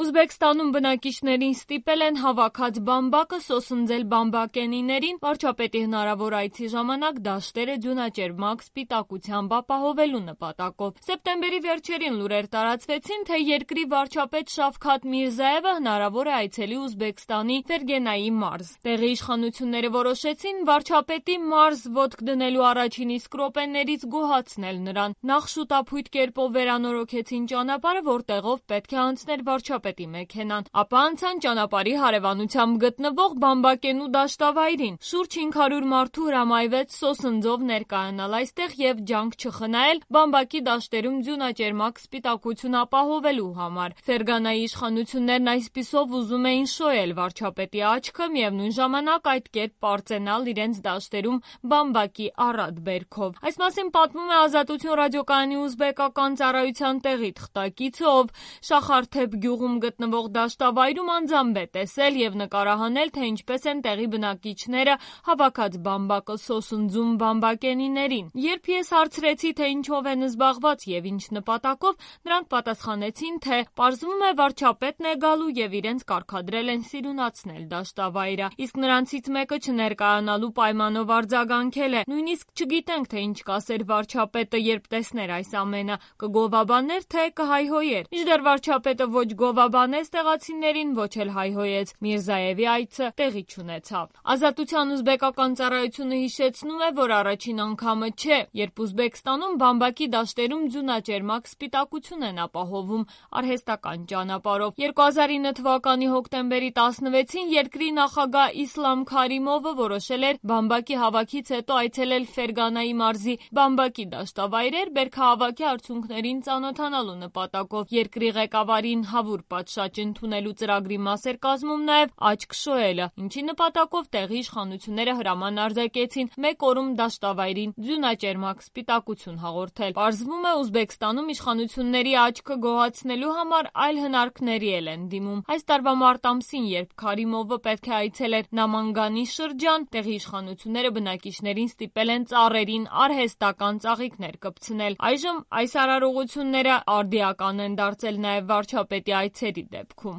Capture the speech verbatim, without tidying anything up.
Ուզբեկստանում բնակիչներին ստիպել են հավաքած բամբակը սոսնձել բամբակենիներին վարչապետի հնարավոր այցի ժամանակ դաշտերը ձյունաճերմակ սպիտակությամբ ապահովելու նպատակով։ Սեպտեմբերի վերջերին լուրեր տարածվեցին, թե երկրի վարչապետ Շավքաթ Միրզաևը հնարավոր է այցելի Ուզբեկստանի Ֆերգենայի մարզ։ Տեղի իշխանությունները որոշեցին վարչապետի մարզ ոտք դնելու առաջին իսկ րոպեներից գոհացնել նրան։ Նախ շուտափույթ կերպով վերանորոգեցին ճանապարհը, որտեղով պետք է անցներ վարչապետի մեքենան, ապա անցան ճանապարհի հարևանությամբ գտնվող բամբակենու դաշտավայրին։ Շուրջ հինգ հարյուր մարդու հրամայվեց սոսնձով ներկայանալ այստեղ եւ ջանք չխնայել բամբակի դաշտերում ձյունաճերմակ սպիտակություն ապահովելու համար։ Ֆերգանայի իշխանություններն այսպիսով ուզում էին շոյել վարչապետի աչքը, միևնույն ժամանակ այդ կերպ պարծենալ իրենց դաշտերում բամբակի առատ բերքով։ Այս մասին պատմում է Ազատություն ռադիոկայանի ուզբեկական ծառայության տեղի թղթակիցը, ով Շախարթեփ գյուղում գտնվող դաշտավայրում անձամբ է տեսել եւ նկարահանել, թե ինչպես են տեղի բնակիչները հավաքած բամբակը սոսնձում բամբակենիներին։ Երբ ես հարցրեցի, թե ինչով են զբաղված եւ ինչ նպատակով, նրանք պատասխանեցին, թե պարզվում է վարչապետն է գալու եւ իրենց կարգադրել են սիրունացնել դաշտավայրը։ Իսկ նրանցից մեկը չներկայանալու պայմանով արձագանքել է. նույնիսկ չգիտենք, թե ինչ կասեր վարչապետը, երբ տեսներ այս ամենը, կգովաբաներ, թե կհայհոյեր։ Մինչդեռ վարչապետը ոչ գովաբանեց տեղացիներին, ոչ էլ հայհոյեց։ Միրզաևի այցը տեղի չունեցավ։ Ազատության ուզբեկական ծառայությունը հիշեցնում է, որ առաջին անգամը չէ, երբ Ուզբեկստանում բամբակի դաշտերում ձյունաճերմակ սպիտակություն են ապահովում արհեստական ճանապարհով։ երկու հազար ինը թվականի հոկտեմբերի տասնվեցին երկրի նախագահ Իսլամ Քարիմովը որոշել էր բամբակի հավաքից հետո այցելել Ֆերգանայի մարզի բամբակի դաշտավայրեր բերքահավաքի արդյունքներին ծանոթանալու նպատակով։ Երկրի ղեկավարին հավուր պատշաճ ընդունելու ծրագրի մաս էր կազմում նաև աչք շոյելը, ինչի նպատակով տեղի իշխանությունները հրաման արձակեցին մեկ օրում դաշտավայրին ձյունաճերմակ սպիտակություն հաղորդել։ Պարզվում է, Ուզբեկստանում իշխանությունների աչքը գոհացնելու համար այլ հնարքների էլ են դիմում։ Այս տարվա մարտ ամսին, երբ Քարիմովը պետք է այցելեր Նամանգանի շրջան, տեղի իշխանությունները բնակիչներին ստիպել են ծառերին արհեստական ծաղիկներ կպցնել։ Այժմ այս արարողությունները արդիական են դարձել նաև վարչապետի այցերի դեպքում։